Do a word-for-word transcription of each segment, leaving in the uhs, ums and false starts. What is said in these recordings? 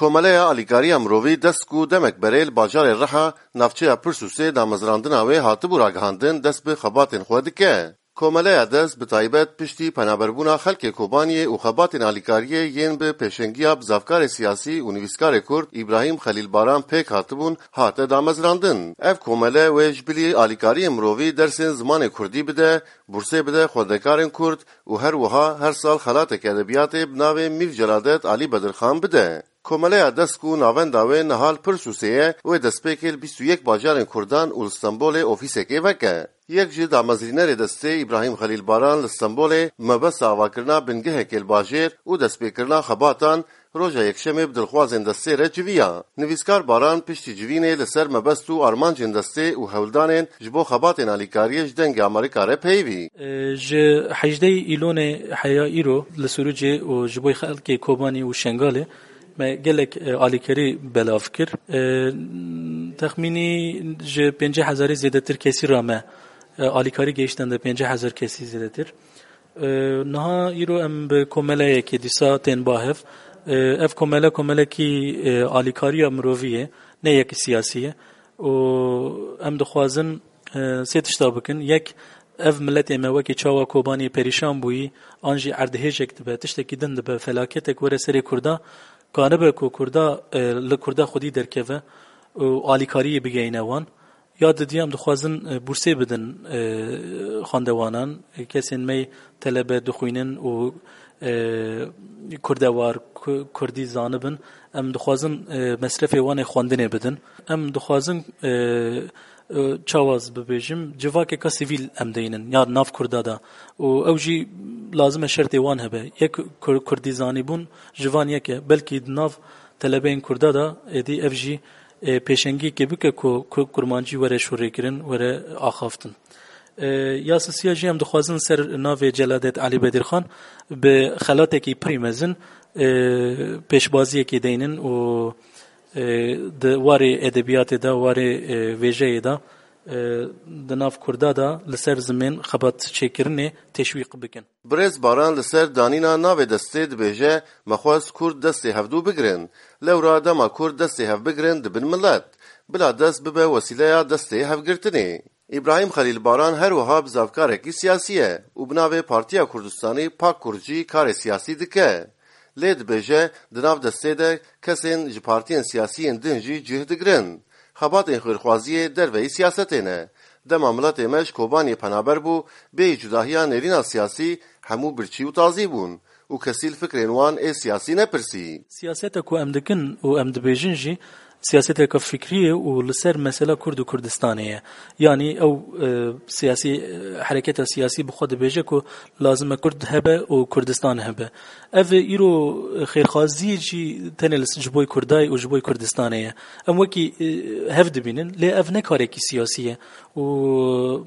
Komeleya Alîkariya Mirovî DESK ku demek berê li bajarê Riha, navçeya Pirsûsê, damezrandina wê hatibû ragihandin, dest bi xebatên xwe dike. Komeleya DESK bi taybet piştî penaberbûna xelkê Kobaniyê û xebatên alîkariyê yên bi pêşengiya bizavkarê siyasî û nivîskarê Kurd Îbrahîm Xelîl Baran pêk hatibûn, hate damezrandin. Ev komele wê ji bilî alîkariyên mirovî dersên zimanê Kurdî bide, bursê bide xwendekarên Kurd û her wiha her sal xelateke edebiyatê bi navê Mîr Celadet Alî Bedirxan bide. Komeleya DESK ku navenda wê niha li Pirsûsê ye, wê destpêkê li bîst û yek bajarên Kurdan û li Stenbolê ofîsekê veke. Yek ji damezrînerê destê Îbrahîm Xelîl Baran li Stenbolê mebesta avakirina bingehekê li bajêr û destpêkirina xebatan roja Yekşemê bi dilxwazên destê re civiya. Nivîskar Baran piştî civînê li ser mebest û armancên destê û hewldanên ji bo xebatên alîkariyê ji Dengê Amerîka re peyivî. E, ji hejdehê Îlonê heya îro li Sûrûcê û ji bo xelkê Kobanî û Şengalê me gelek, e, alîkarî belav kir. E, texmînî ji pêncî hezarî zêdetir kesî re me, e, alîkarî gehiştende pêncî hezar kesî zêdetir. E, niha îro em bi komeleyekê dîsa tên ba hev. E, ev komele komelekî, e, alîkariya mirovî ye, ne yek siyasî ye. Û em dixwazin, e, sê tişta bikin. Yek, ev miletê me wekî çawa Kobanî perîşan bûyî, an jî erdhêjek dibe, tiştekî din dibe, felaketek were serê Kurda, kanibe ku Kurda, e, li Kurda xwedî derkeve û alîkariyê bigeyne wan. Ya didî em dixwazin, e, bursê bidin, e, xwendewanan, e, kesên me telebe dixwînin û, e, kurdewar, ku-, kurdî zanibin. Em dixwazin, e, mesrefê wan ê xwendinê bidin. Em dixwazin, e, e, çawa ez bibêjim, civakeka sivîl em deynin, ya nav Kurda de. Û ew jî lazim e şertê wan hebe. Yek kur-, kurdî zanîbûn ji van yek e. Belkî di nav telebeyên Kurda de êdî ev jî, e, pêşengiyekê bike ku, ku kurmancî were şûrêkirin, were axaftin. E, ya sisiya jî em dixwazin ser navê Celadet Alî Bedirxan bi xelatekî pirî mezin, e, pêşbaziyekê deynin û, e, di warê edebiyatê de, warê, e, vêjeyê de, e, di nav Kurda de li ser zimên xebat çêkirinê teşwîq bikin. Birêz Baran li ser danîna navê destê dibêje, me xwest Kurd destê hevdû bigirin. Lewra dema Kurd destê hev bigirin dibin milet. Bila dest bibe wesîleya destê hevgirtinê. Îbrahîm Xelîl Baran her wiha bizavkarekî siyasî ye û bi navê Partiya Kurdistanî, PAK Kurd, jî karê siyasî dike. Lê dibêje, di nav destê de kesên ji partiyên siyasî yên din jî cih digirin. Xebatên xêrxwaziyê derveyî siyasetê ne. Dema miletê me ji Kobaniyê penaber bû, bêyî cudahiya nêrîna siyasî, hemû birçî û tazî bûn û kesî li fikrên wan ê siyasî nepirsî. Siyaseta ku em dikin û em dibêjin jî siyaseteke fikrî ye û li ser mesela Kurd û Kurdistanê ye. Yanî ew, e, siyasî, e, hereketa siyasî bi xwe dibêje ku lazim e Kurd hebe û Kurdistan hebe. Ev îro xêrxwaziyê jî tenê li, ji bo Kurdayê û ji bo Kurdistanê ye. Em wekî, e, hev dibînin, lê ev ne karekî siyasî ye. Û,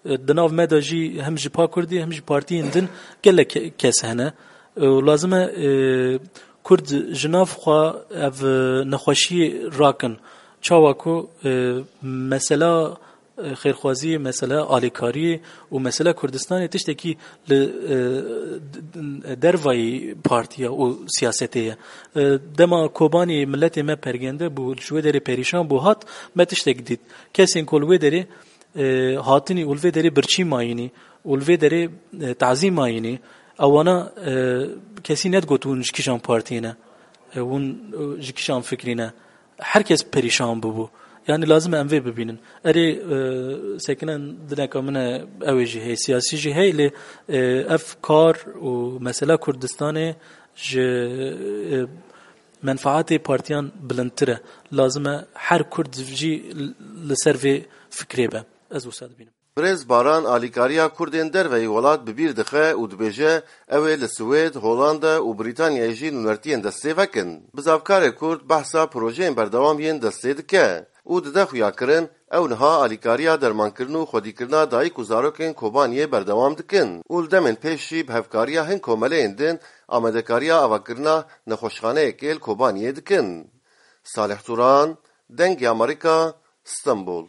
e, di nav me de jî hem ji PAK Kurdî hem ji partiyên din gelek ke-, kes hene. Û lazim e, e, Kurd ji nav xwe ev, e, nexweşiyê rakin. Çawa ku, e, mesela, e, xêrxwaziyê, mesela alîkariyê û mesela Kurdistanê tiştekî li, e, d-, d-, dervayî partiya û siyasetê ye. E, dema Kobanî miletê me pergende bû, ji wê derê perîşan bû hat, me tiştek dît. Kesên ku li wê derê, e, hatinî û li vê derê birçî mayînî û li vê derê, e, tazî mayînî, ewana, e, kesî nedigot hûn ji kîjan partiyê ne, e, hûn, e, ji kîjan fikrî ne. Her kes perîşan bûbû. Yanî lazim e em vê bibînin. Erê, e, sekine dineka min e, ew ê jî heye, siyasî jî heye, lê, e, ev kar û mesela Kurdistanê ji, e, menfaatê partiyan bilindtir e. Lazim e her Kurd jî li ser vê fikrê be. Ez wisa dibînim. Birêz Baran alîkariya Kurdên derveyî welat bi bîr dixe û dibêje, ew ê li Swêd, Holanda û Brîtanyayê jî nûnertiyên destê vekin. Bizavkarê Kurd behsa projeyên berdewam yên destê dike û dide xuyakirin, ew niha alîkariya dermankirin û xwedîkirina dayik û zarokên Kobaniyê berdewam dikin û li demên pêş jî bi hevkariya hin komeleyên din amadekariya avakirina nexweşxaneyekê li Kobaniyê dikin. Salih Turan, Dengê Amerîka, Stenbol.